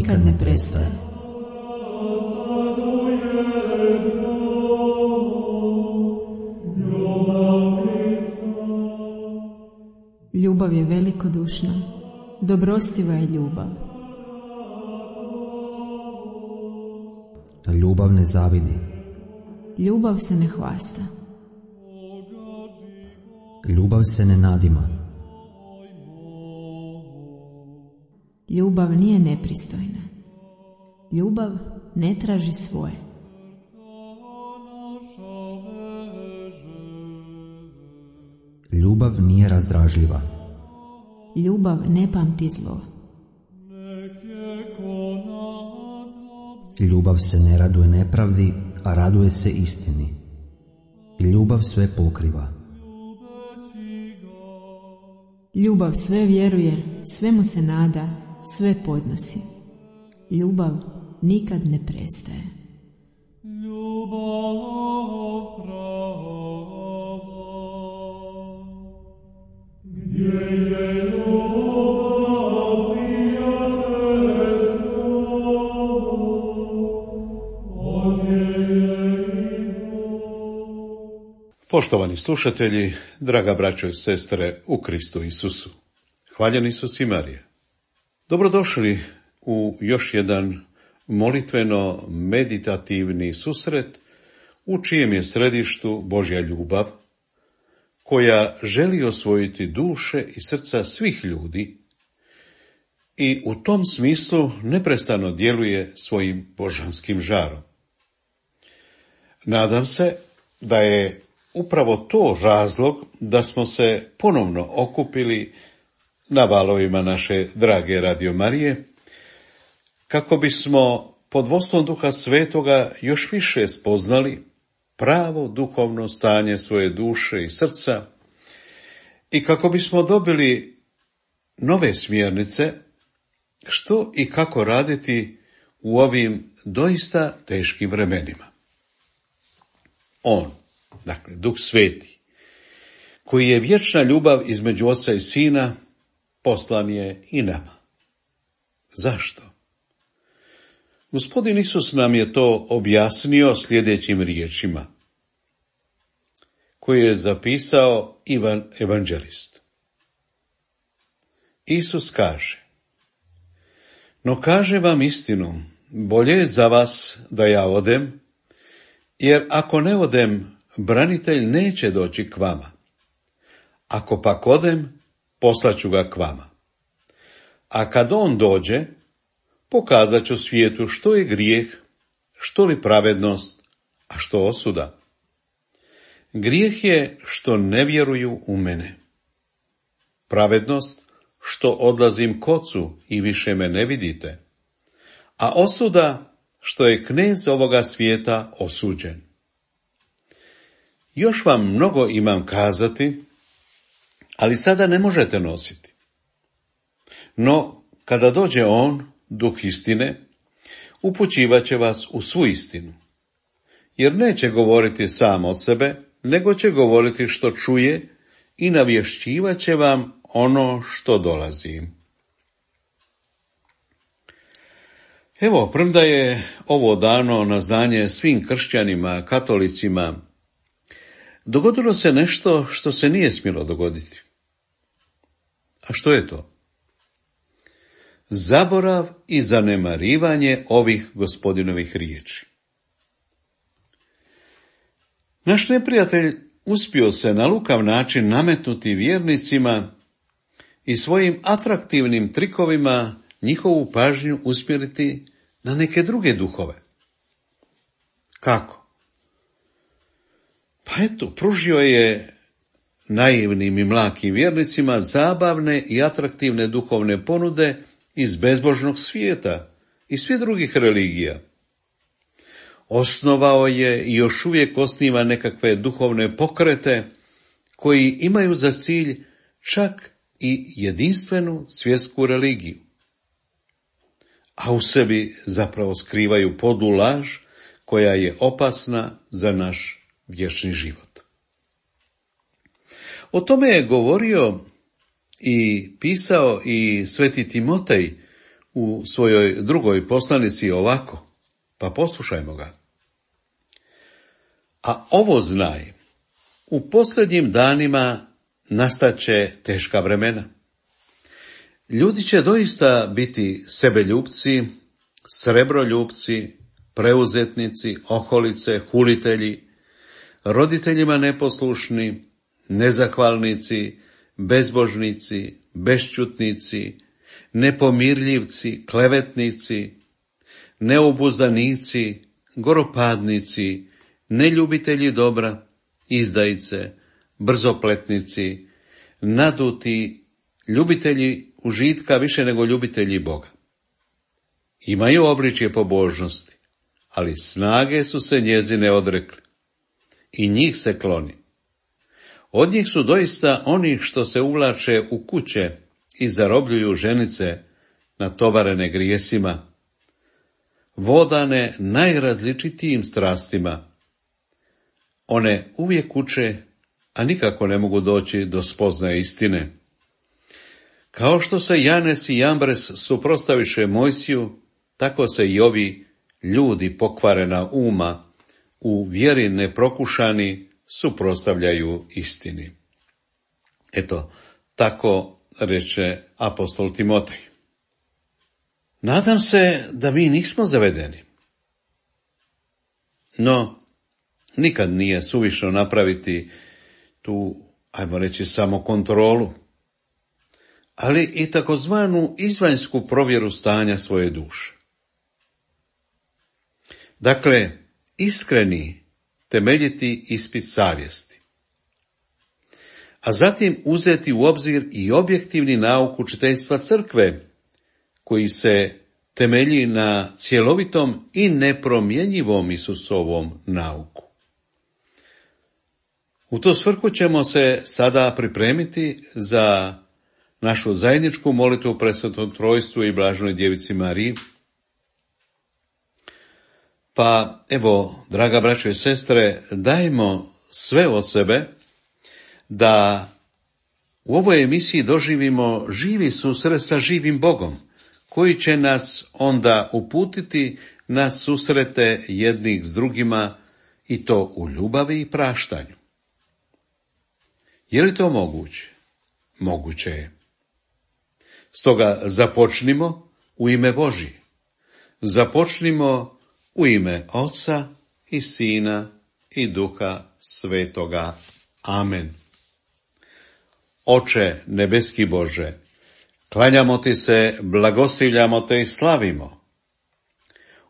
nikad ne prestaje. Ljubav je velikodušna, dobrostiva je ljubav. Ljubav ne zavidi. Ljubav se ne hvasta. Ljubav se ne nadima. Ljubav nije nepristojna. Ljubav ne traži svoje. Ljubav nije razdražljiva. Ljubav ne pamti zlo. Ljubav se ne raduje nepravdi, a raduje se istini. Ljubav sve pokriva. Ljubav sve vjeruje, sve mu se nada, sve podnosi. Ljubav nikad ne prestaje. Poštovani slušatelji, draga braćo i sestre u Kristu Isusu, hvaljen Isus i Marija. Dobrodošli u još jedan molitveno-meditativni susret u čijem je središtu Božja ljubav, koja želi osvojiti duše i srca svih ljudi i u tom smislu neprestano djeluje svojim božanskim žarom. Nadam se da je upravo to razlog da smo se ponovno okupili na valovima naše drage Radio Marije, kako bismo pod vodstvom Duha Svetoga još više spoznali pravo duhovno stanje svoje duše i srca i kako bismo dobili nove smjernice što i kako raditi u ovim doista teškim vremenima. On, dakle, Duh Sveti, koji je vječna ljubav između Oca i Sina, poslan je i nama. Zašto? Gospodin Isus nam je to objasnio sljedećim riječima, koje je zapisao Ivan Evanđelist. Isus kaže: no kaže vam istinu, bolje je za vas da ja odem, jer ako ne odem, branitelj neće doći k vama. Ako pak odem, poslaću ga k vama. A kad on dođe, pokazat ću svijetu što je grijeh, što li pravednost, a što osuda. Grijeh je što ne vjeruju u mene. Pravednost, što odlazim k Ocu i više me ne vidite. A osuda, što je knez ovoga svijeta osuđen. Još vam mnogo imam kazati, ali sada ne možete nositi. No, kada dođe on, Duh istine, upućivat će vas u svu istinu. Jer neće govoriti sam od sebe, nego će govoriti što čuje i navješćivat će vam ono što dolazi. Evo, premda je ovo dano na znanje svim kršćanima, katolicima, dogodilo se nešto što se nije smjelo dogoditi. A što je to? Zaborav i zanemarivanje ovih Gospodinovih riječi. Naš neprijatelj uspio se na lukav način nametnuti vjernicima i svojim atraktivnim trikovima njihovu pažnju usmjeriti na neke druge duhove. Kako? Pa eto, pružio je naivnim i mlakim vjernicima zabavne i atraktivne duhovne ponude iz bezbožnog svijeta i svih drugih religija. Osnovao je i još uvijek osniva nekakve duhovne pokrete koji imaju za cilj čak i jedinstvenu svjetsku religiju, a u sebi zapravo skrivaju podlu laž koja je opasna za naš vječni život. O tome je govorio i pisao i sveti Timotej u svojoj drugoj poslanici ovako, pa poslušajmo ga. A ovo znaj, u posljednjim danima nastaće teška vremena. Ljudi će doista biti sebeljupci, srebroljupci, preuzetnici, oholice, hulitelji, roditeljima neposlušni, nezahvalnici, bezbožnici, bešćutnici, nepomirljivci, klevetnici, neobuzdanici, goropadnici, neljubitelji dobra, izdajice, brzopletnici, naduti, ljubitelji užitka više nego ljubitelji Boga. Imaju obličje pobožnosti, ali snage su se njezine odrekli i njih se kloni. Od njih su doista oni što se uvlače u kuće i zarobljuju ženice natovarene grijesima, vodane najrazličitijim strastima. One uvijek uče, a nikako ne mogu doći do spoznaje istine. Kao što se Janes i Jambres suprotstaviše Mojsiju, tako se i ovi ljudi pokvarena uma, u vjeri neprokušani, suprotstavljaju istini. Eto, tako reče apostol Timotej. Nadam se da mi nismo zavedeni. No, nikad nije suvišno napraviti tu, ajmo reći, samokontrolu, ali i takozvanu izvanjsku provjeru stanja svoje duše. Dakle, iskreni, temeljiti ispit savjesti, a zatim uzeti u obzir i objektivni nauk učiteljstva crkve, koji se temelji na cjelovitom i nepromjenjivom Isusovom nauku. U to svrhu ćemo se sada pripremiti za našu zajedničku molitvu Presvetom Trojstvu i Blaženoj Djevici Mariji. Pa evo, draga braćo i sestre, dajmo sve od sebe da u ovoj emisiji doživimo živi susret sa živim Bogom, koji će nas onda uputiti na susrete jednih s drugima, i to u ljubavi i praštanju. Je li to moguće? Moguće je. Stoga započnimo u ime Božje. Započnimo u ime Oca i Sina i Duha Svetoga. Amen. Oče nebeski Bože, klanjamo ti se, blagoslivljamo te i slavimo.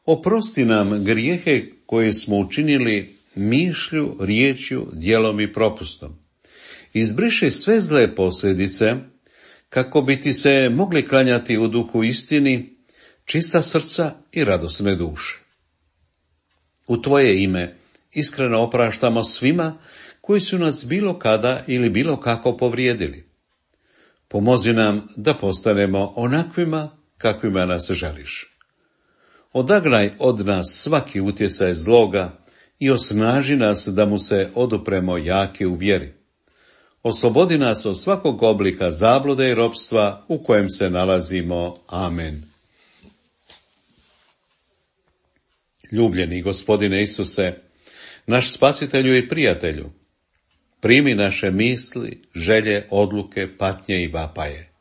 Oprosti nam grijehe koje smo učinili mišlju, riječju, djelom i propustom. Izbriši sve zle posljedice, kako bi ti se mogli klanjati u duhu istini, čista srca i radosne duše. U tvoje ime iskreno opraštamo svima koji su nas bilo kada ili bilo kako povrijedili. Pomozi nam da postanemo onakvima kakvima nas želiš. Odagnaj od nas svaki utjecaj zloga i osnaži nas da mu se odupremo jaki u vjeri. Oslobodi nas od svakog oblika zablude i ropstva u kojem se nalazimo. Amen. Ljubljeni Gospodine Isuse, naš spasitelju i prijatelju, primi naše misli, želje, odluke, patnje i vapaje.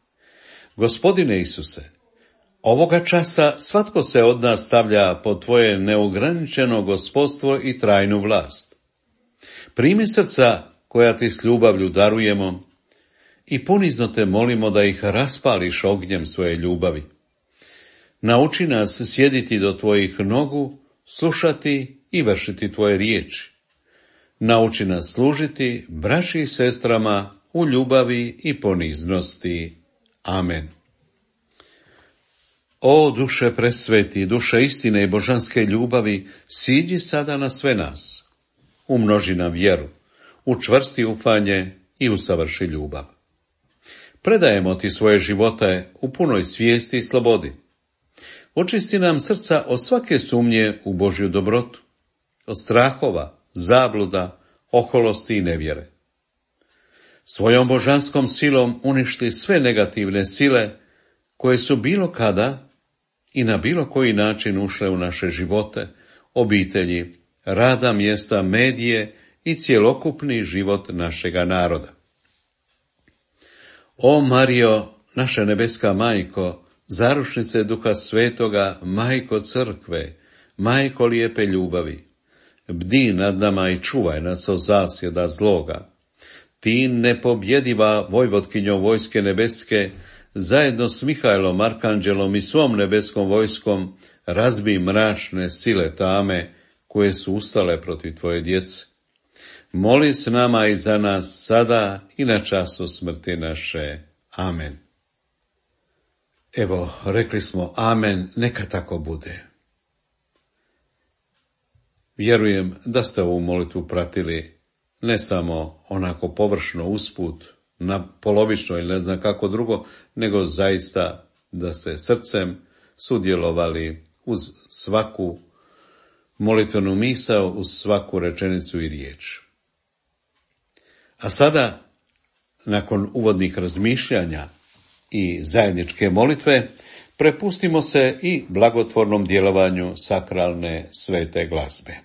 Gospodine Isuse, ovoga časa svatko se od nas stavlja pod tvoje neograničeno gospodstvo i trajnu vlast. Primi srca koja ti s ljubavlju darujemo i ponizno te molimo da ih raspališ ognjem svoje ljubavi. Nauči nas sjediti do tvojih nogu, slušati i vršiti tvoje riječi. Nauči nas služiti braći i sestrama u ljubavi i poniznosti. Amen. O duše presveti, duše istine i božanske ljubavi, siđi sada na sve nas. Umnoži nam vjeru, učvrsti ufanje i usavrši ljubav. Predajemo ti svoje živote u punoj svijesti i slobodi. Očisti nam srca od svake sumnje u Božju dobrotu, od strahova, zabluda, oholosti i nevjere. Svojom božanskom silom uništi sve negativne sile koje su bilo kada i na bilo koji način ušle u naše živote, obitelji, rada mjesta, medije i cjelokupni život našega naroda. O Marijo, naša nebeska majko, zaručnice Duha Svetoga, majko crkve, majko lijepe ljubavi, bdi nad nama i čuvaj nas od zasjeda zloga. Ti nepobjediva vojvotkinjo vojske nebeske, zajedno s Mihajlom, Arkanđelom i svom nebeskom vojskom, razbij mračne sile tame koje su ustale protiv tvoje djece. Moli s nama i za nas sada i na času smrti naše. Amen. Evo, rekli smo amen, neka tako bude. Vjerujem da ste ovu molitvu pratili ne samo onako površno usput, na polovično ili ne znam kako drugo, nego zaista da ste srcem sudjelovali uz svaku molitvenu misao, uz svaku rečenicu i riječ. A sada, nakon uvodnih razmišljanja i zajedničke molitve, prepustimo se i blagotvornom djelovanju sakralne svete glazbe.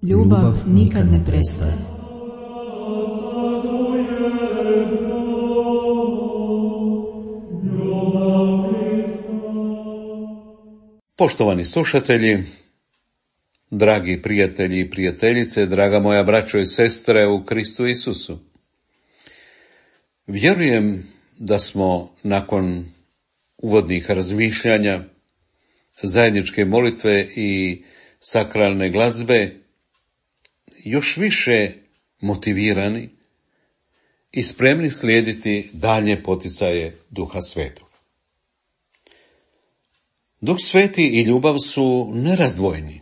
Ljubav nikad ne prestaje. Poštovani slušatelji, dragi prijatelji i prijateljice, draga moja braćo i sestre u Kristu Isusu, vjerujem da smo nakon uvodnih razmišljanja, zajedničke molitve i sakralne glazbe još više motivirani i spremni slijediti dalje poticaje Duha Svetog. Duh Sveti i ljubav su nerazdvojni.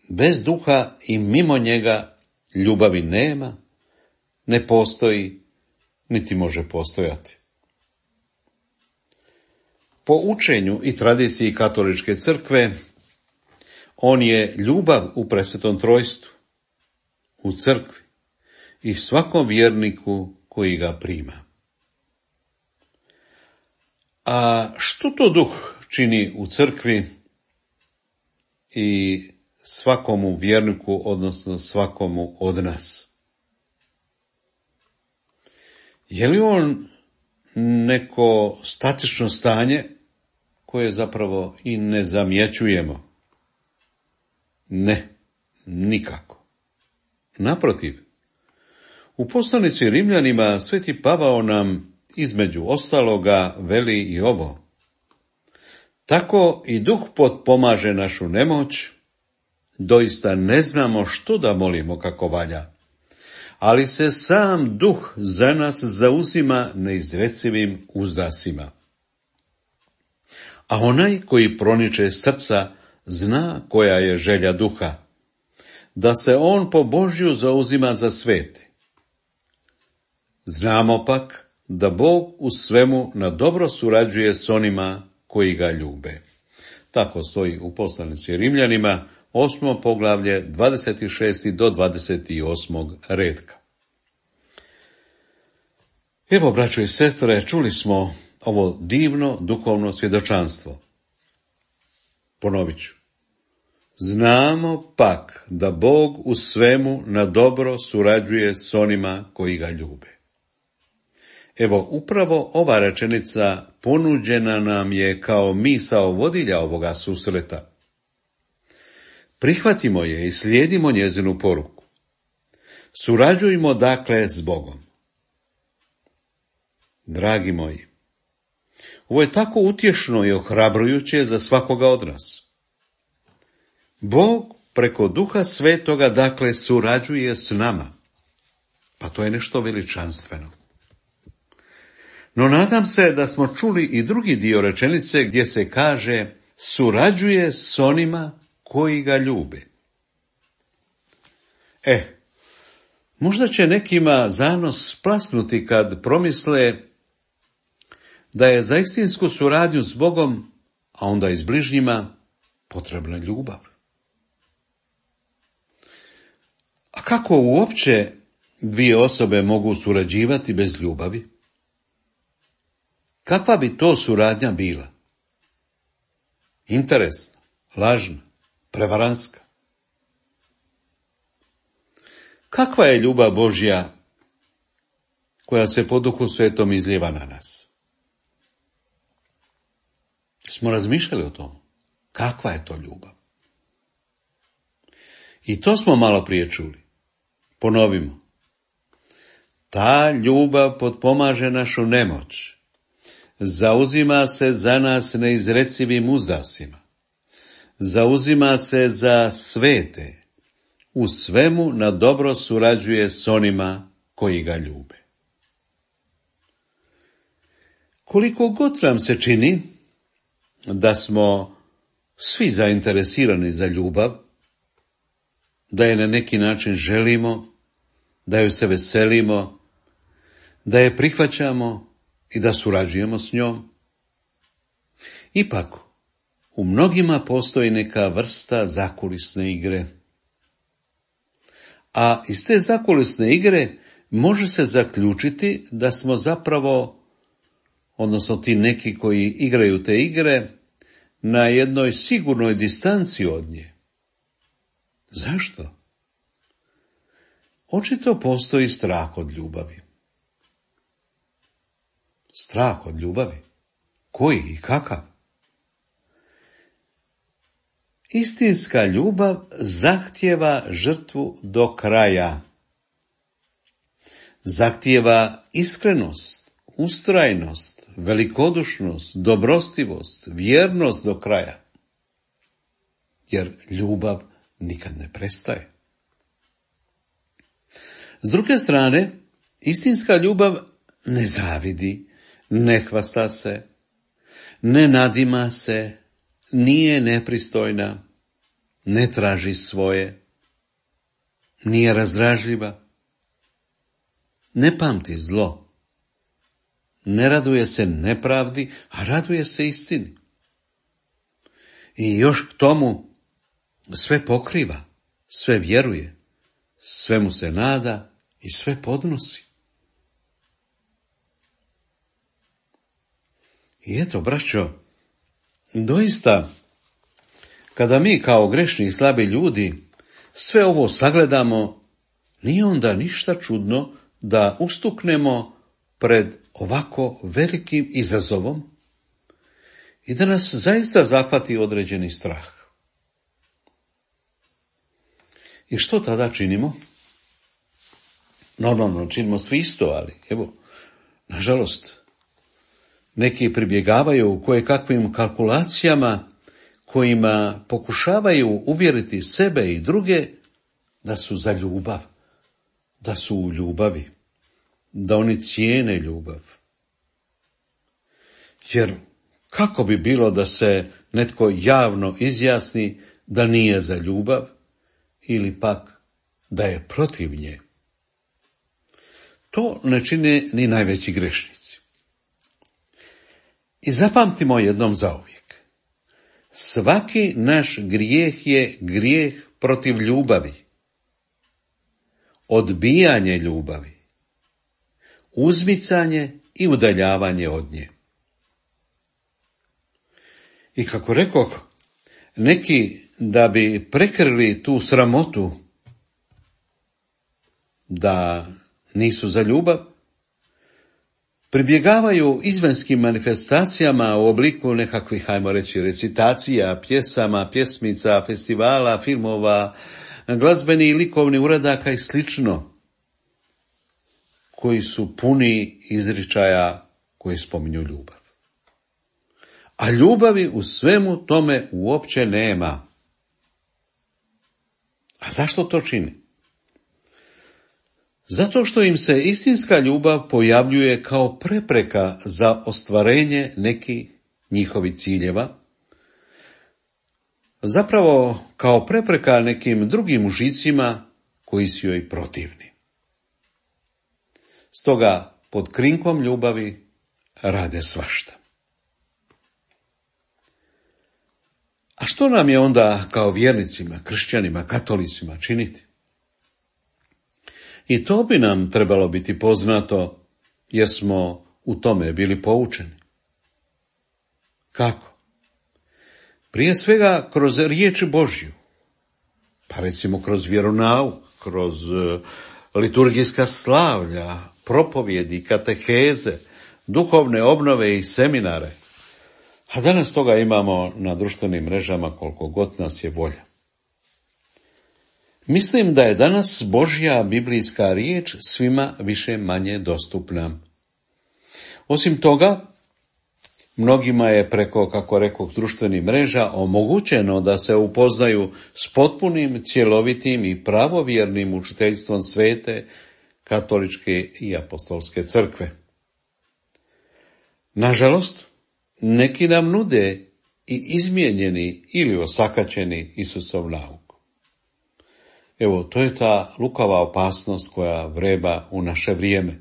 Bez duha i mimo njega ljubavi nema, ne postoji, niti može postojati. Po učenju i tradiciji katoličke crkve, on je ljubav u presvetom trojstvu, u crkvi i svakom vjerniku koji ga prima. A što to duh čini u crkvi i svakomu vjerniku, odnosno svakomu od nas? Je li on neko statično stanje koje zapravo i ne zamjećujemo? Ne, nikako. Naprotiv, u poslanici Rimljanima Sveti Pavao nam između ostaloga veli i ovo: tako i duh potpomaže našu nemoć, doista ne znamo što da molimo kako valja, ali se sam duh za nas zauzima neizrecivim uzdasima. A onaj koji proniče srca zna koja je želja duha, da se on po Božju zauzima za svete. Znamo pak da Bog u svemu na dobro surađuje s onima koji ga ljube. Tako stoji u poslanici Rimljanima, 8. poglavlje, 26. do 28. redka. Evo, braćo i sestre, čuli smo ovo divno duhovno svjedočanstvo. Ponovit ću. Znamo pak da Bog u svemu na dobro surađuje s onima koji ga ljube. Evo, upravo ova rečenica ponuđena nam je kao misao vodilja ovoga susreta. Prihvatimo je i slijedimo njezinu poruku. Surađujmo dakle s Bogom. Dragi moji, ovo je tako utješno i ohrabrujuće za svakoga od nas. Bog preko Duha Svetoga dakle surađuje s nama. Pa to je nešto veličanstveno. No nadam se da smo čuli i drugi dio rečenice gdje se kaže surađuje s onima koji ga ljube. Možda će nekima zanos splasnuti kad promisle da je za istinsku suradnju s Bogom, a onda i s bližnjima, potrebna ljubav. A kako uopće dvije osobe mogu surađivati bez ljubavi? Kakva bi to suradnja bila? Interesna, lažna, prevaranska. Kakva je ljubav Božja koja se po Duhu Svetom izlijeva na nas? Smo razmišljali o tom? Kakva je to ljubav? I to smo malo prije čuli. Ponovimo. Ta ljubav potpomaže našu nemoć. Zauzima se za nas neizrecivim uzdasima. Zauzima se za svete. U svemu na dobro surađuje s onima koji ga ljube. Koliko god nam se čini da smo svi zainteresirani za ljubav, da je na neki način želimo, da joj se veselimo, da je prihvaćamo i da surađujemo s njom, ipak u mnogima postoji neka vrsta zakulisne igre. A iz te zakulisne igre može se zaključiti da smo zapravo, odnosno ti neki koji igraju te igre, na jednoj sigurnoj distanci od nje. Zašto? Očito postoji strah od ljubavi. Strah od ljubavi? Koji i kakav? Istinska ljubav zahtijeva žrtvu do kraja. Zahtijeva iskrenost, ustrajnost, velikodušnost, dobrostivost, vjernost do kraja. Jer ljubav nikad ne prestaje. S druge strane, istinska ljubav ne zavidi, ne hvasta se, ne nadima se, nije nepristojna, ne traži svoje, nije razdražljiva, ne pamti zlo, ne raduje se nepravdi, a raduje se istini. I još k tomu sve pokriva, sve vjeruje, sve mu se nada i sve podnosi. I eto, braćo, doista, kada mi kao grešni i slabi ljudi sve ovo sagledamo, nije onda ništa čudno da ustuknemo pred ovako velikim izazovom i da nas zaista zahvati određeni strah. I što tada činimo? Normalno, činimo svi isto, ali evo, nažalost, neki pribjegavaju kojekakvim kalkulacijama kojima pokušavaju uvjeriti sebe i druge da su za ljubav, da su u ljubavi, da oni cijene ljubav. Jer kako bi bilo da se netko javno izjasni da nije za ljubav ili pak da je protiv nje? To ne čine ni najveći grešnici. I zapamtimo jednom zauvijek. Svaki naš grijeh je grijeh protiv ljubavi. Odbijanje ljubavi. Uzmicanje i udaljavanje od nje. I kako rekoh, neki da bi prekrili tu sramotu da nisu za ljubav, pribjegavaju izvanskim manifestacijama u obliku nekakvih, ajmo reći, recitacija, pjesama, pjesmica, festivala, filmova, glazbeni i likovni uradaka i slično, koji su puni izričaja koji spominju ljubav. A ljubavi u svemu tome uopće nema. A zašto to čini? Zato što im se istinska ljubav pojavljuje kao prepreka za ostvarenje nekih njihovih ciljeva, zapravo kao prepreka nekim drugim užicima koji su joj protivni. Stoga pod krinkom ljubavi rade svašta. A što nam je onda kao vjernicima, kršćanima, katolicima činiti? I to bi nam trebalo biti poznato, jer smo u tome bili poučeni. Kako? Prije svega kroz riječ Božju, pa recimo kroz vjeronauk, kroz liturgijska slavlja, propovjedi, kateheze, duhovne obnove i seminare. A danas toga imamo na društvenim mrežama koliko god nas je volja. Mislim da je danas Božja biblijska riječ svima više manje dostupna. Osim toga, mnogima je preko, kako rekoh, društvenih mreža omogućeno da se upoznaju s potpunim, cjelovitim i pravovjernim učiteljstvom svete, katoličke i apostolske crkve. Nažalost, neki nam nude i izmijenjeni ili osakaćeni Isusov nauk. Evo, to je ta lukava opasnost koja vreba u naše vrijeme.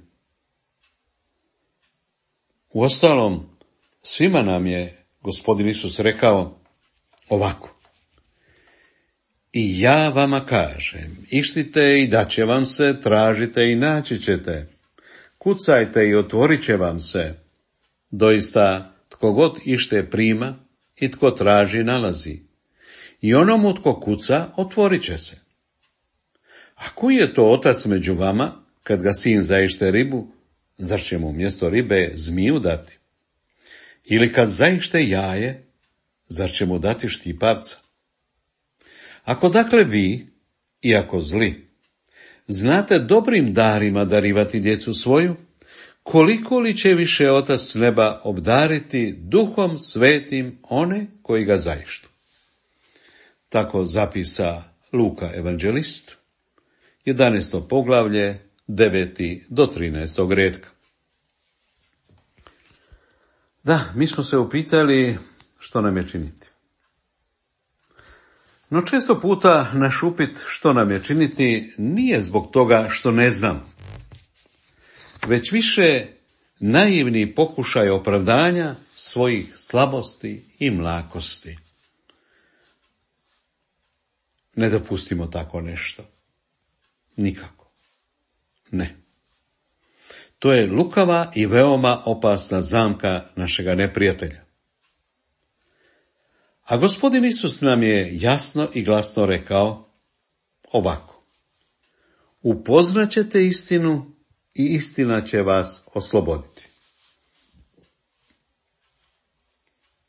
Uostalom, svima nam je Gospodin Isus rekao ovako: I ja vama kažem, ištite i daće vam se, tražite i naći ćete, kucajte i otvorit će vam se. Doista, tko god ište prima i tko traži nalazi. I onomu tko kuca, otvorit će se. A koji je to otac među vama, kad ga sin zaište ribu, zar će mu umjesto ribe zmiju dati? Ili kad zaište jaje, zar će mu dati štipavca? Ako dakle vi, iako zli, znate dobrim darima darivati djecu svoju, koliko li će više otac s neba obdariti duhom svetim one koji ga zaištu? Tako zapisa Luka evanđelist, 11. poglavlje, 9. do 13. redka. Da, mi smo se upitali što nam je činiti. No često puta naš upit što nam je činiti nije zbog toga što ne znam, već više naivni pokušaj opravdanja svojih slabosti i mlakosti. Ne dopustimo tako nešto. Nikako. Ne. To je lukava i veoma opasna zamka našega neprijatelja. A Gospodin Isus nam je jasno i glasno rekao ovako: upoznaćete istinu i istina će vas osloboditi.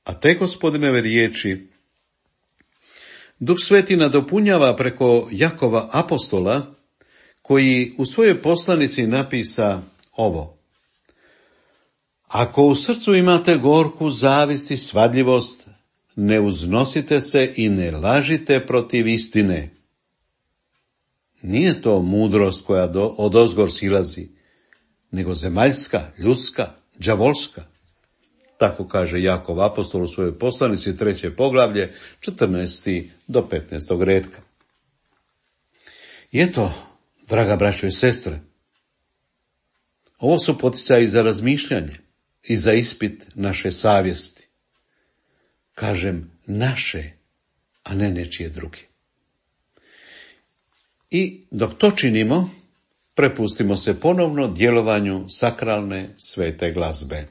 A te Gospodinove riječi Duh Sveti nadopunjava preko Jakova apostola, koji u svojoj poslanici napisa ovo: ako u srcu imate gorku zavist i svadljivost, ne uznosite se i ne lažite protiv istine. Nije to mudrost koja odozgor silazi, nego zemaljska, ljudska, đavolska. Tako kaže Jakov apostol u svojoj poslanici 3. poglavlje, 14. do 15. redka. I eto, draga braćo i sestre, ovo su poticaji za razmišljanje i za ispit naše savjesti. Kažem naše, a ne nečije druge. I dok to činimo, prepustimo se ponovno djelovanju sakralne svete glazbe.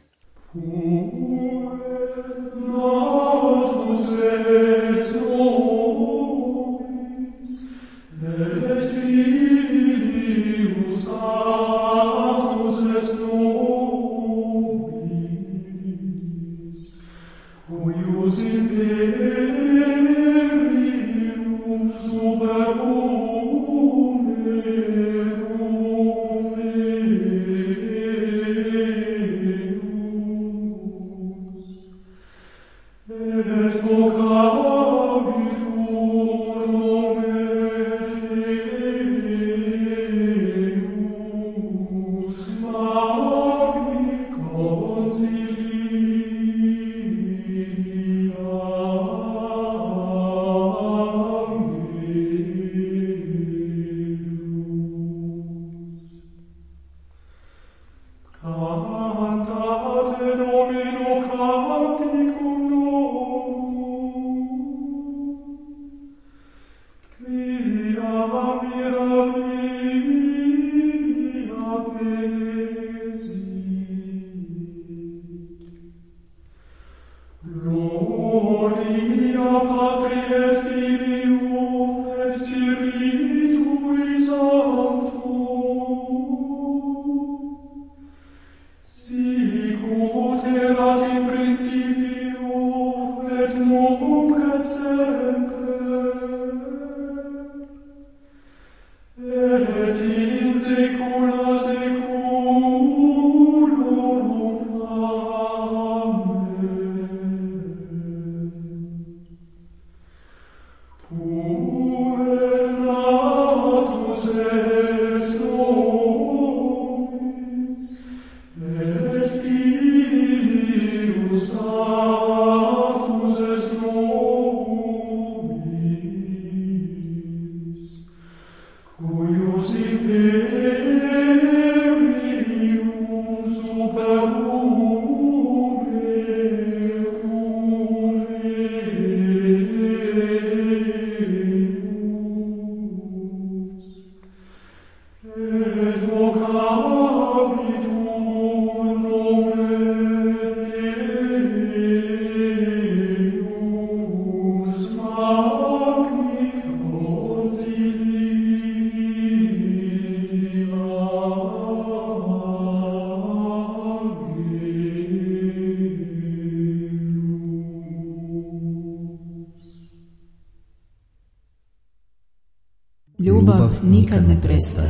Ljubav nikad ne prestaje.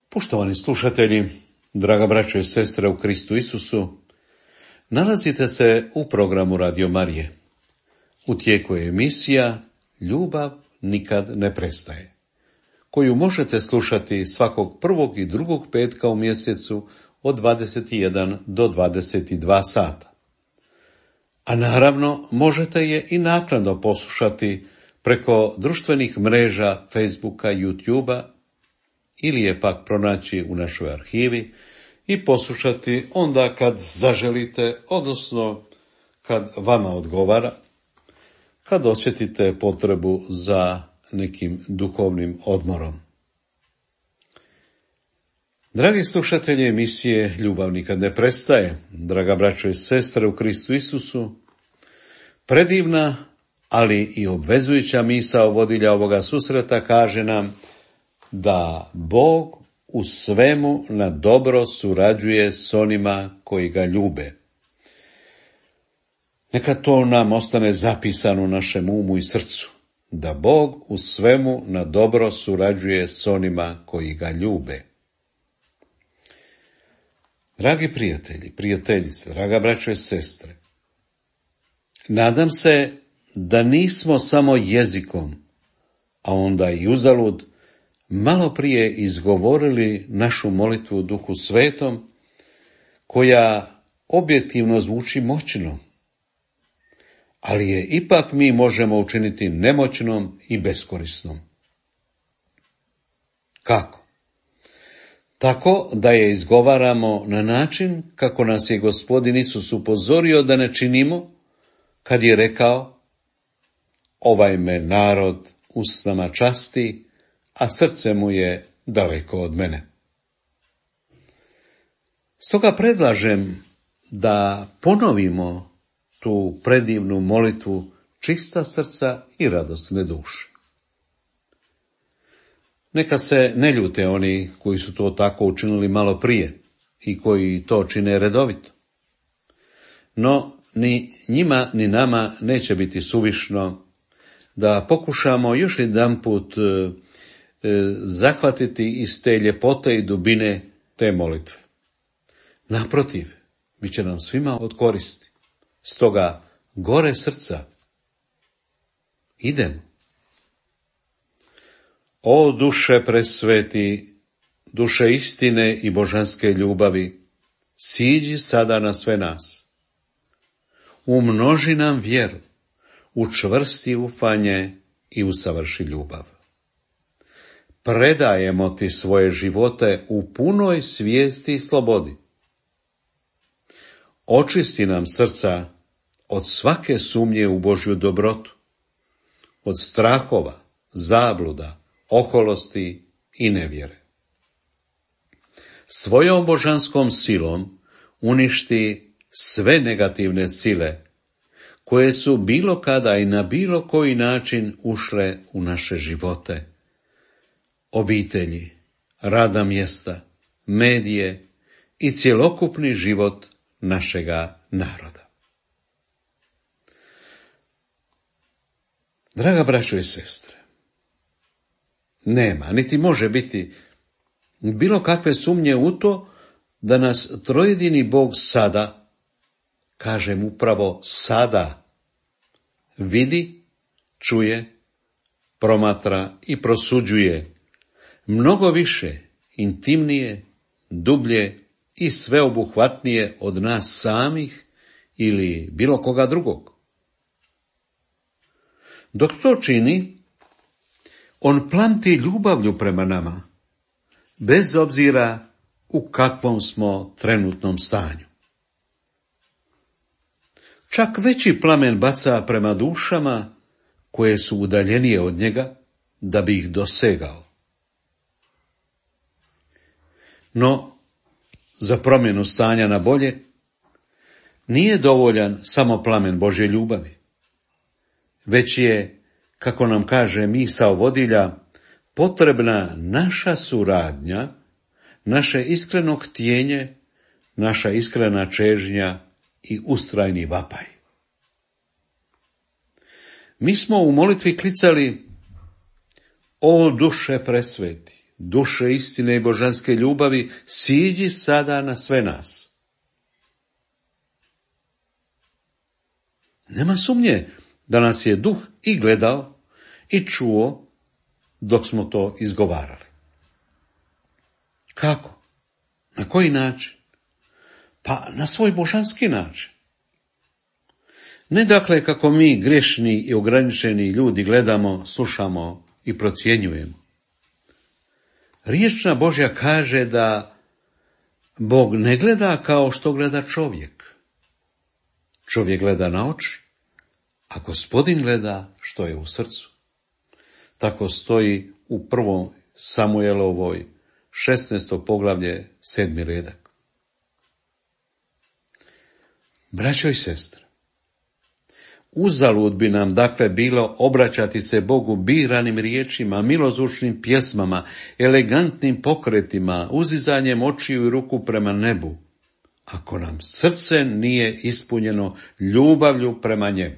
Poštovani slušatelji, draga braćo i sestre u Kristu Isusu, Nalazite se u programu Radio Marije. U tijeku je emisija Ljubav nikad ne prestaje, koju možete slušati svakog prvog i drugog petka u mjesecu od 21 do 22 sata. A naravno možete je i naknadno poslušati preko društvenih mreža Facebooka, YouTubea ili je pak pronaći u našoj arhivi i poslušati onda kad zaželite, odnosno kad vama odgovara, kad osjetite potrebu za nekim duhovnim odmorom. Dragi slušatelji emisije Ljubav nikad ne prestaje, draga braćo i sestre u Kristu Isusu, predivna, ali i obvezujuća misao vodilja ovoga susreta kaže nam da Bog u svemu na dobro surađuje s onima koji ga ljube. Neka to nam ostane zapisano u našem umu i srcu, da Bog u svemu na dobro surađuje s onima koji ga ljube. Dragi prijatelji, prijateljice, draga braćo i sestre, nadam se da nismo samo jezikom, a onda i uzalud, malo prije izgovorili našu molitvu u Duhu Svetom, koja objektivno zvuči moćno, ali je ipak mi možemo učiniti nemoćnom i beskorisnom. Kako? Tako da je izgovaramo na način kako nas je Gospodin Isus upozorio da ne činimo, kad je rekao: ovaj me narod usnama časti, a srce mu je daleko od mene. Stoga predlažem da ponovimo tu predivnu molitvu čista srca i radosne duše. Neka se ne ljute oni koji su to tako učinili malo prije i koji to čine redovito. No, ni njima ni nama neće biti suvišno da pokušamo još jedanput zahvatiti iz te ljepote i dubine te molitve. Naprotiv, bit će nam svima od koristi. Stoga, gore srca, idemo. O duše presveti, duše istine i božanske ljubavi, siđi sada na sve nas. Umnoži nam vjeru, učvrsti ufanje i usavrši ljubav. Predajemo ti svoje živote u punoj svijesti i slobodi. Očisti nam srca od svake sumnje u Božju dobrotu, od strahova, zabluda, oholosti i nevjere. Svojom božanskom silom uništi sve negativne sile koje su bilo kada i na bilo koji način ušle u naše živote, obitelji, radna mjesta, medije i cjelokupni život našega naroda. Draga braćo i sestre, nema, niti može biti bilo kakve sumnje u to da nas trojedini Bog sada, kažem upravo sada, vidi, čuje, promatra i prosuđuje mnogo više, intimnije, dublje i sveobuhvatnije od nas samih ili bilo koga drugog. Dok to čini, on plamti ljubavlju prema nama, bez obzira u kakvom smo trenutnom stanju. Čak veći plamen baca prema dušama koje su udaljenije od njega, da bi ih dosegao. No, za promjenu stanja na bolje nije dovoljan samo plamen Božje ljubavi, već je, kako nam kaže misao vodilja, potrebna naša suradnja, naše iskreno htjenje, naša iskrena čežnja i ustrajni vapaj. Mi smo u molitvi klicali: o duše presveti, duše istine i božanske ljubavi, siđi sada na sve nas. Nema sumnje da nas je Duh i gledao i čuo dok smo to izgovarali. Kako? Na koji način? Pa na svoj božanski način. Ne dakle kako mi grešni i ograničeni ljudi gledamo, slušamo i procjenjujemo. Riječna Božja kaže da Bog ne gleda kao što gleda čovjek. Čovjek gleda na oči, a Gospodin gleda što je u srcu. Tako stoji u 1. Samuelovoj 16. poglavlje 7. redak. Braćo i sestre, uzalud bi nam dakle bilo obraćati se Bogu biranim riječima, milozvučnim pjesmama, elegantnim pokretima, uzizanjem očiju i ruku prema nebu, ako nam srce nije ispunjeno ljubavlju prema njemu.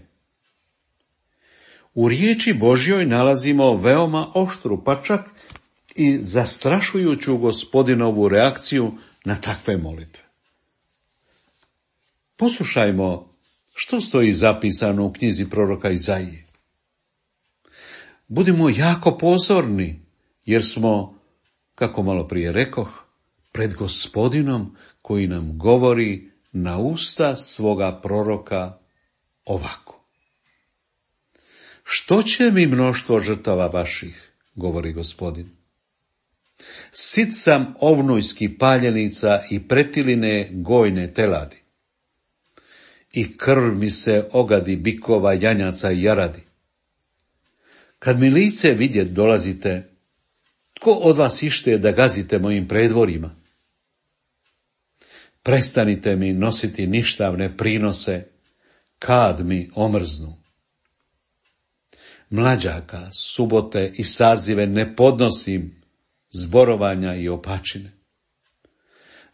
U riječi Božjoj nalazimo veoma oštru, pa čak i zastrašujuću Gospodinovu reakciju na takve molitve. Poslušajmo što stoji zapisano u knjizi proroka Izaije. Budimo jako pozorni, jer smo, kako malo prije rekoh, pred Gospodinom koji nam govori na usta svoga proroka ovako. Što će mi mnoštvo žrtava vaših, govori Gospodin. Sit sam ovnujskih paljenica i pretiline gojne teladi. I krv mi se ogadi bikova, janjaca i jaradi. Kad mi lice vidjet dolazite, tko od vas ište da gazite mojim predvorima? Prestanite mi nositi ništavne prinose, kad mi omrznu. Mlađaka, subote i sazive ne podnosim, zborovanja i opačine.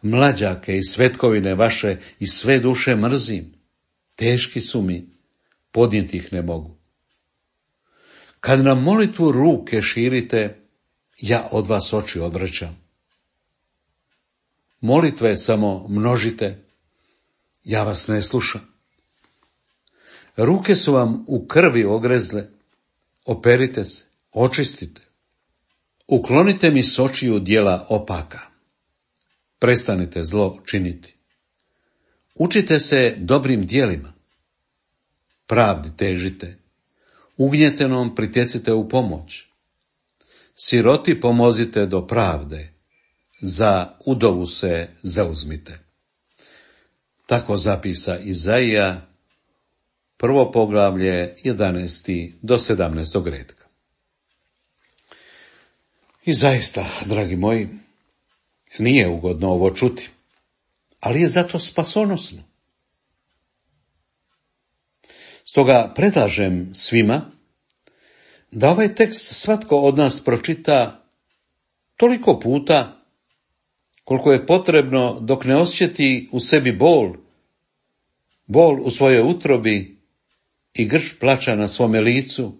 Mlađake i svetkovine vaše i sve duše mrzim, teški su mi, podnijeti ih ne mogu. Kad na molitvu ruke širite, ja od vas oči odvraćam. Molitve samo množite, ja vas ne slušam. Ruke su vam u krvi ogrezle, operite se, očistite. Uklonite mi s očiju djela opaka. Prestanite zlo činiti. Učite se dobrim djelima. Pravdi težite. Ugnjetenom pritjecite u pomoć. Siroti pomozite do pravde. Za udovu se zauzmite. Tako zapisa Izaija, 1. poglavlje, 11. do 17. retka. I zaista, dragi moji, nije ugodno ovo čuti, ali je zato spasonosno. Stoga predlažem svima da ovaj tekst svatko od nas pročita toliko puta koliko je potrebno dok ne osjeti u sebi bol u svojoj utrobi i grč plača na svome licu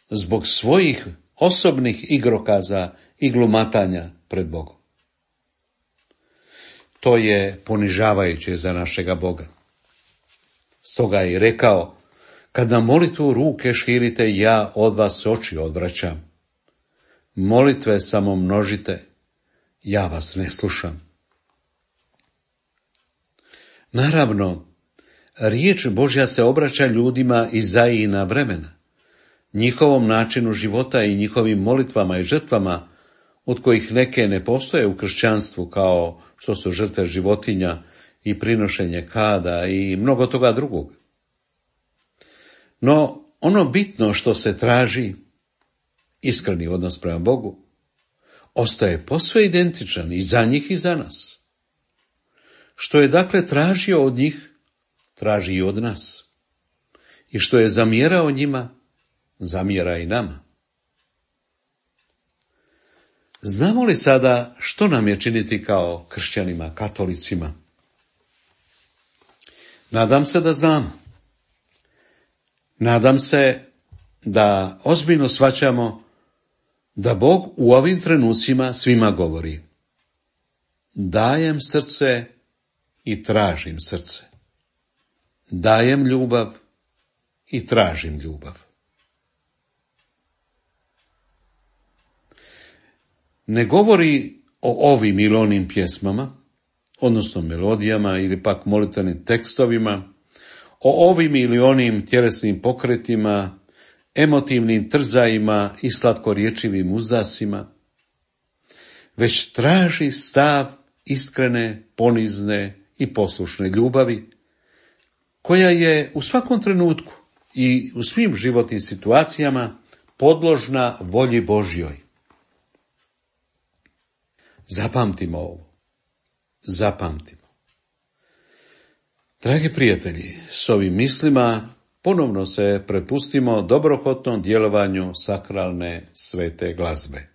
zbog svojih osobnih igrokaza i glumatanja pred Bogom. To je ponižavajuće za našega Boga. Stoga je i rekao, kad na molitvu ruke širite, ja od vas oči odvraćam. Molitve samo množite, ja vas ne slušam. Naravno, riječ Božja se obraća ljudima Izaijina vremena, njihovom načinu života i njihovim molitvama i žrtvama, od kojih neke ne postoje u kršćanstvu, kao što su žrtve životinja i prinošenje kada i mnogo toga drugog. No, ono bitno što se traži, iskreni odnos prema Bogu, ostaje posve identičan i za njih i za nas. Što je dakle tražio od njih, traži i od nas. I što je zamjerao njima, zamjera i nama. Znamo li sada što nam je činiti kao kršćanima, katolicima? Nadam se da znam. Nadam se da ozbiljno shvaćamo da Bog u ovim trenucima svima govori. Dajem srce i tražim srce. Dajem ljubav i tražim ljubav. Ne govori o ovim ili onim pjesmama, odnosno melodijama ili pak molitvenim tekstovima, o ovim ili onim tjelesnim pokretima, emotivnim trzajima i slatkorječivim uzdasima, već traži stav iskrene, ponizne i poslušne ljubavi, koja je u svakom trenutku i u svim životnim situacijama podložna volji Božjoj. Zapamtimo ovo. Zapamtimo. Dragi prijatelji, s ovim mislima ponovno se prepustimo dobrohotnom djelovanju sakralne svete glazbe.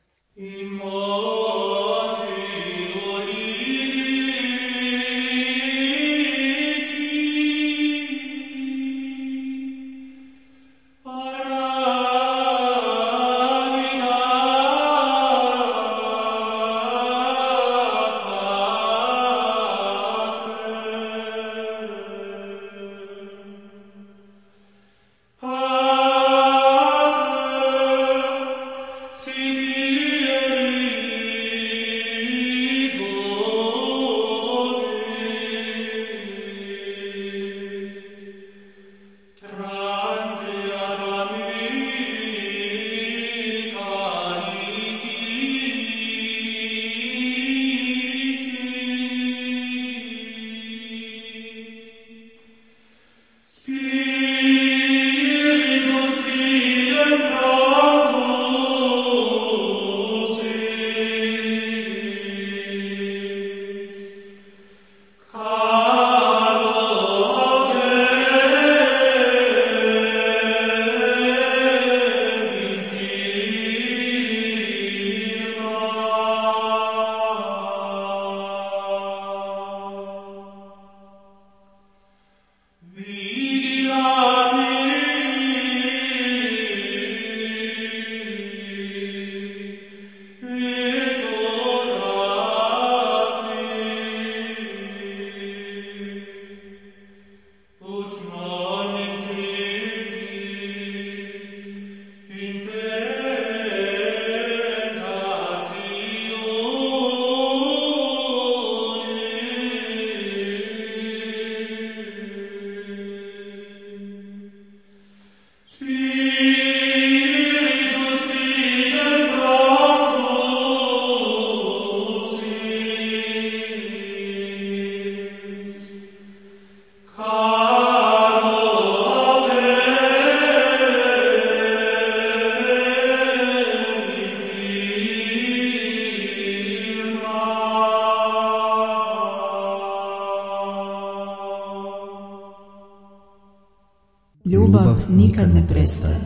Ljubav nikad ne prestaje.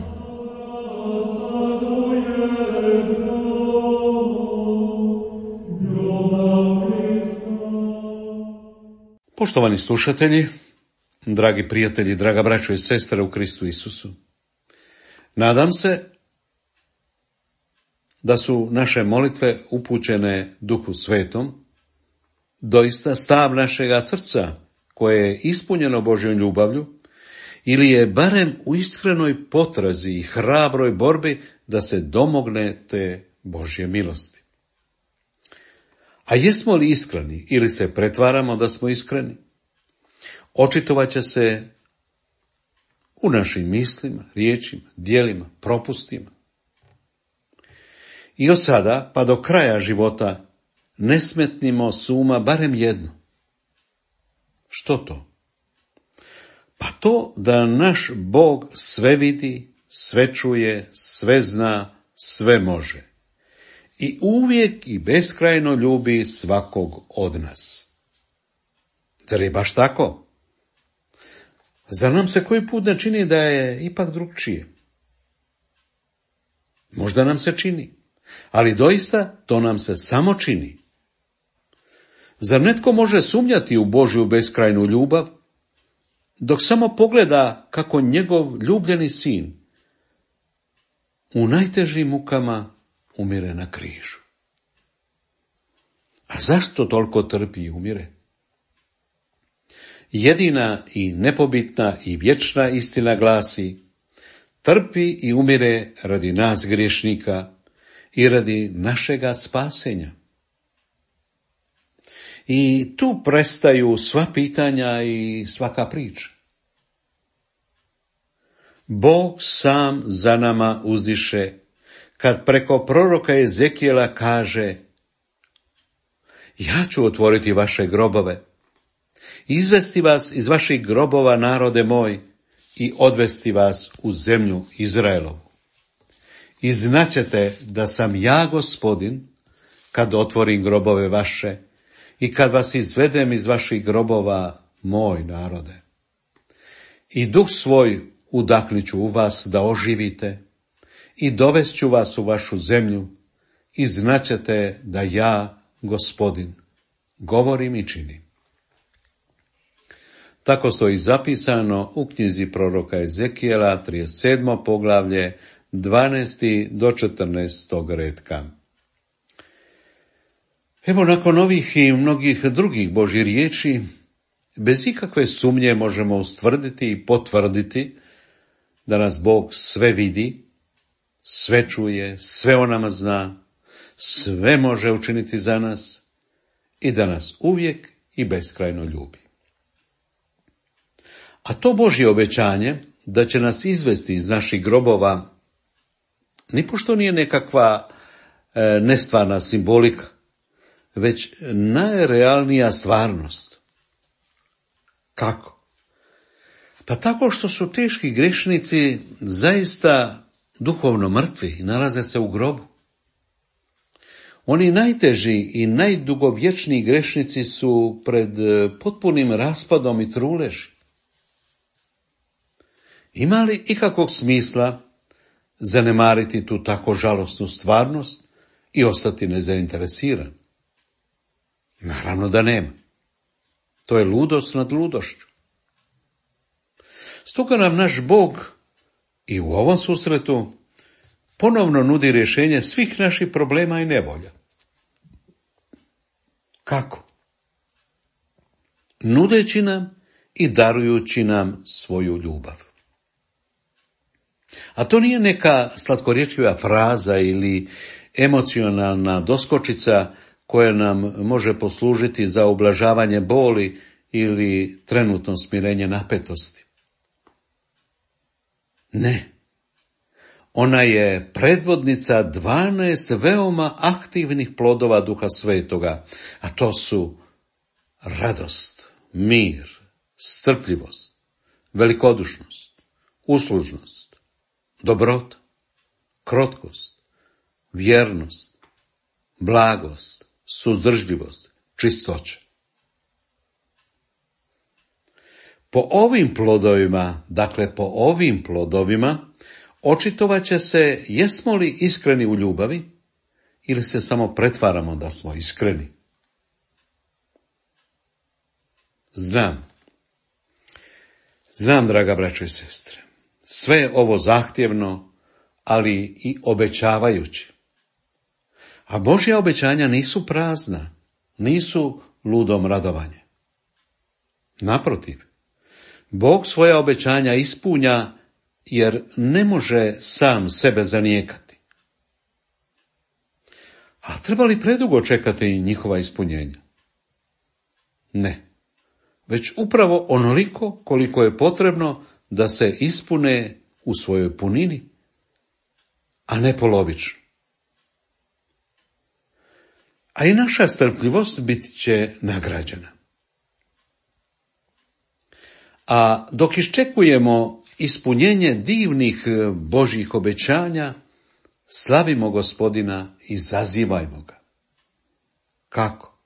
Poštovani slušatelji, dragi prijatelji, draga braćo i sestre u Kristu Isusu, nadam se da su naše molitve upućene Duhu Svetom, doista stav našega srca koje je ispunjeno Božjom ljubavlju, ili je barem u iskrenoj potrazi i hrabroj borbi da se domogne te Božje milosti. A jesmo li iskreni ili se pretvaramo da smo iskreni? Očitovat će se u našim mislima, riječima, djelima, propustima. I od sada pa do kraja života ne smetnimo s uma barem jedno. Što to? Pa to da naš Bog sve vidi, sve čuje, sve zna, sve može. I uvijek i beskrajno ljubi svakog od nas. Zar je baš tako? Zar nam se koji put ne čini da je ipak drugčije? Možda nam se čini, ali doista to nam se samo čini. Zar netko može sumnjati u Božju beskrajnu ljubav, dok samo pogleda kako njegov ljubljeni sin u najtežim mukama umire na križu? A zašto toliko trpi i umire? Jedina i nepobitna i vječna istina glasi: trpi i umire radi nas griješnika i radi našega spasenja. I tu prestaju sva pitanja i svaka priča. Bog sam za nama uzdiše, kad preko proroka Ezekijela kaže: ja ću otvoriti vaše grobove, izvesti vas iz vaših grobova, narode moj, i odvesti vas u zemlju Izraelovu. I znaćete da sam ja Gospodin, kad otvorim grobove vaše i kad vas izvedem iz vaših grobova, moj narode. I duh svoj udahnit ću u vas da oživite i dovest ću vas u vašu zemlju i znaćete da ja, Gospodin, govorim i činim. Tako stoji zapisano u knjizi proroka Ezekijela, 37. poglavlje, 12. do 14. redka. Evo, nakon ovih i mnogih drugih Božjih riječi, bez ikakve sumnje možemo ustvrditi i potvrditi da nas Bog sve vidi, sve čuje, sve o nama zna, sve može učiniti za nas i da nas uvijek i beskrajno ljubi. A to Božje obećanje da će nas izvesti iz naših grobova nipošto nije nekakva nestvarna simbolika, već najrealnija stvarnost. Kako? Pa tako što su teški grešnici zaista duhovno mrtvi i nalaze se u grobu. Oni najteži i najdugovječniji grešnici su pred potpunim raspadom i truleži. Ima li ikakvog smisla zanemariti tu tako žalosnu stvarnost i ostati nezainteresiran? Naravno da nema. To je ludost nad ludošću. Stoga nam naš Bog i u ovom susretu ponovno nudi rješenje svih naših problema i nevolja. Kako? Nudeći nam i darujući nam svoju ljubav. A to nije neka slatkorječiva fraza ili emocionalna doskočica koja nam može poslužiti za ublažavanje boli ili trenutno smirenje napetosti. Ne. Ona je predvodnica 12 veoma aktivnih plodova Duha Svetoga, a to su radost, mir, strpljivost, velikodušnost, uslužnost, dobrota, krotkost, vjernost, blagost, suzdržljivost, čistoća. Po ovim plodovima, očitovat će se jesmo li iskreni u ljubavi ili se samo pretvaramo da smo iskreni. Znam, draga braćo i sestre, sve je ovo zahtjevno, ali i obećavajući. A Božja obećanja nisu prazna, nisu ludom radovanje. Naprotiv, Bog svoja obećanja ispunja jer ne može sam sebe zanijekati. A treba li predugo čekati njihova ispunjenja? Ne, već upravo onoliko koliko je potrebno da se ispune u svojoj punini, a ne polovično. A i naša strpljivost bit će nagrađena. A dok iščekujemo ispunjenje divnih Božjih obećanja, slavimo Gospodina i zazivajmo ga. Kako?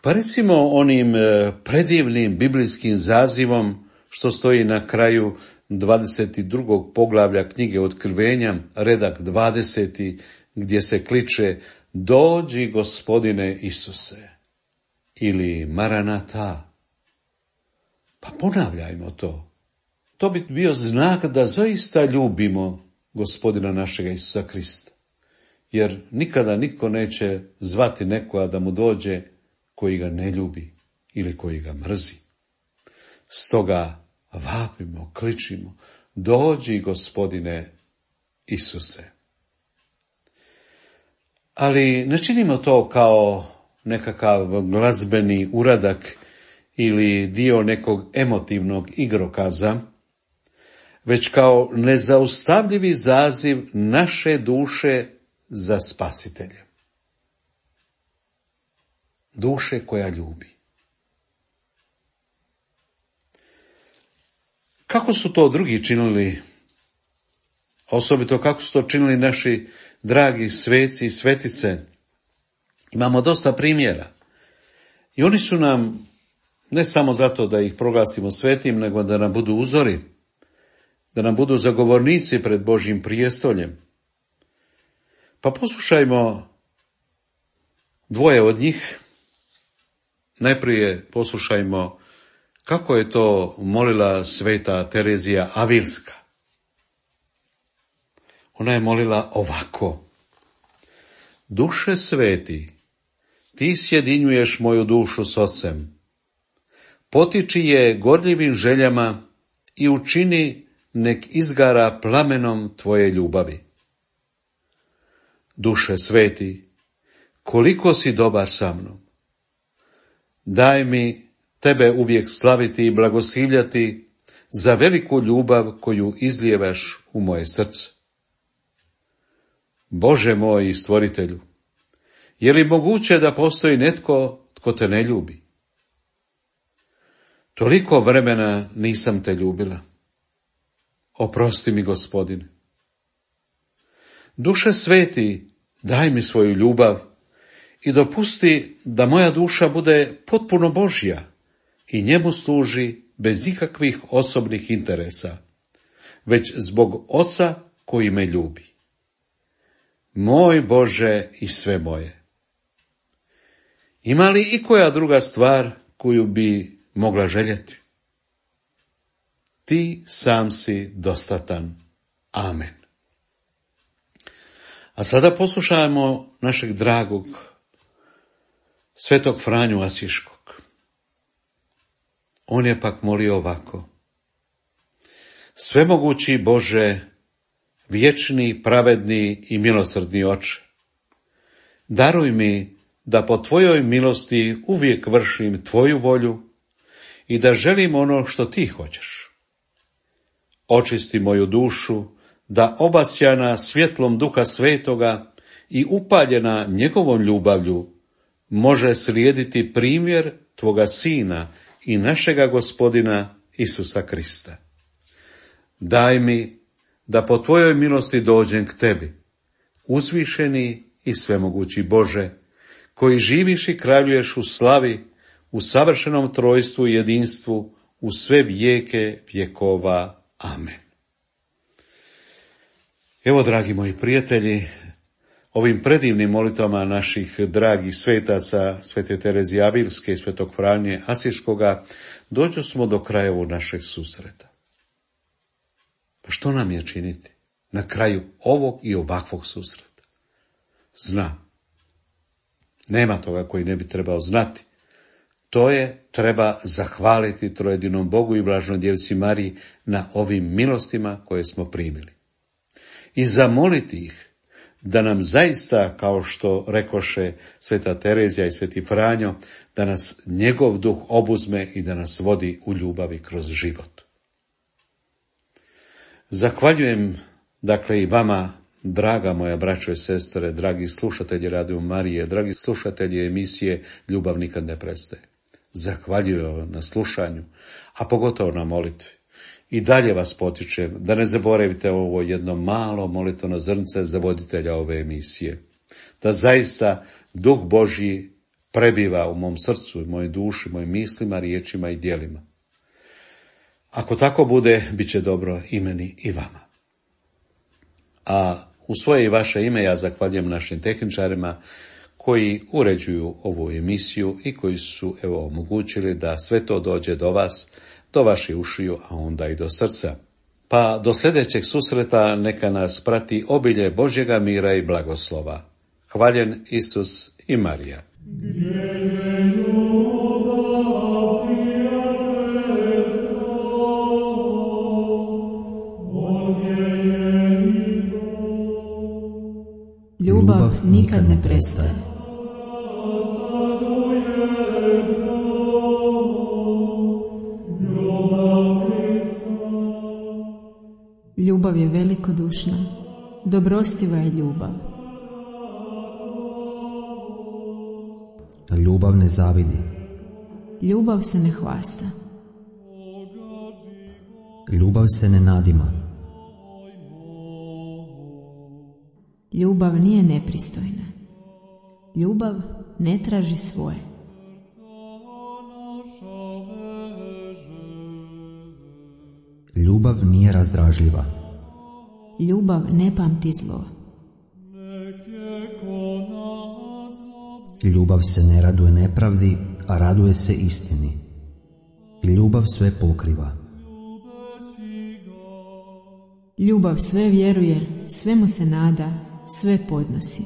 Pa recimo onim predivnim biblijskim zazivom što stoji na kraju 22. poglavlja knjige Otkrivenja, redak 20. gdje se kliče Dođi Gospodine Isuse ili Maranata. Pa ponavljajmo to. To bi bio znak da zaista ljubimo Gospodina našega Isusa Krista. Jer nikada nitko neće zvati nekoga da mu dođe koji ga ne ljubi ili koji ga mrzi. Stoga vapimo, kličimo, dođi Gospodine Isuse. Ali ne činimo to kao nekakav glazbeni uradak ili dio nekog emotivnog igrokaza, već kao nezaustavljivi zaziv naše duše za spasiteljem. Duše koja ljubi. Kako su to drugi činili? Osobito kako su to činili naši dragi sveci i svetice? Imamo dosta primjera. I oni su nam, ne samo zato da ih proglasimo svetim, nego da nam budu uzori, da nam budu zagovornici pred Božjim prijestoljem. Pa poslušajmo dvoje od njih. Najprije poslušajmo kako je to molila sveta Terezija Avilska. Ona je molila ovako: Duše sveti, ti sjedinjuješ moju dušu s Ocem, potiči je gorljivim željama i učini nek izgara plamenom tvoje ljubavi. Duše sveti, koliko si dobar sa mnom. Daj mi tebe uvijek slaviti i blagoslivljati za veliku ljubav koju izlijevaš u moje srce. Bože moj i stvoritelju, je li moguće da postoji netko tko te ne ljubi? Toliko vremena nisam te ljubila. Oprosti mi, Gospodine. Duše sveti, daj mi svoju ljubav i dopusti da moja duša bude potpuno Božja i njemu služi bez ikakvih osobnih interesa, već zbog Oca koji me ljubi. Moj Bože i sve moje. Ima li i koja druga stvar koju bi mogla željeti? Ti sam si dostatan. Amen. A sada poslušajmo našeg dragog svetog Franju Asiškog. On je pak molio ovako: Svemogući Bože, vječni, pravedni i milosrdni Oče, daruj mi da po tvojoj milosti uvijek vršim tvoju volju i da želim ono što ti hoćeš. Očisti moju dušu, da obasjana svjetlom Duha Svetoga i upaljena njegovom ljubavlju može slijediti primjer tvoga Sina i našega Gospodina Isusa Krista. Daj mi da po tvojoj milosti dođem k tebi, uzvišeni i svemogući Bože, koji živiš i kraljuješ u slavi, u savršenom trojstvu i jedinstvu, u sve vijeke vjekova. Amen. Evo, dragi moji prijatelji, ovim predivnim molitvama naših dragih svetaca, svete Terezije Avilske i svetog Franje Asiškoga, dođu smo do kraja ovog našeg susreta. Pa što nam je činiti na kraju ovog i ovakvog susreta? Znam. Nema toga koji ne bi trebao znati. To je, treba zahvaliti trojedinom Bogu i blaženoj djevici Mariji na ovim milostima koje smo primili. I zamoliti ih da nam zaista, kao što rekoše sveta Terezija i sveti Franjo, da nas njegov duh obuzme i da nas vodi u ljubavi kroz život. Zahvaljujem, dakle, i vama, draga moja braćo i sestre, dragi slušatelji Radio Marije, dragi slušatelji emisije Ljubav nikad ne prestaje. Zahvaljujem vam na slušanju, a pogotovo na molitvi. I dalje vas potičem da ne zaboravite ovo jedno malo molitveno zrnce za voditelja ove emisije. Da zaista Duh Božji prebiva u mom srcu, u mojoj duši, mojim mislima, riječima i djelima. Ako tako bude, bit će dobro i meni i vama. A u svoje i vaše ime ja zahvaljujem našim tehničarima koji uređuju ovu emisiju i koji su omogućili da sve to dođe do vas, do vaših ušiju, a onda i do srca. Pa do sljedećeg susreta neka nas prati obilje Božjega mira i blagoslova. Hvaljen Isus i Marija. Ljubav nikad ne prestaje. Ljubav je velikodušna, dobrostiva je ljubav. Ljubav ne zavidi. Ljubav se ne hvasta. Ljubav se ne nadima. Ljubav nije nepristojna. Ljubav ne traži svoje. Ljubav nije razdražljiva. Ljubav ne pamti zlo. Ljubav se ne raduje nepravdi, a raduje se istini. Ljubav sve pokriva. Ljubav sve vjeruje, svemu se nada, sve podnosi.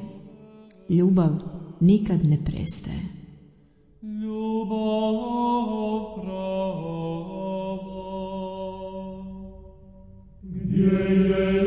Ljubav nikad ne prestaje. Ljubav prava, gdje je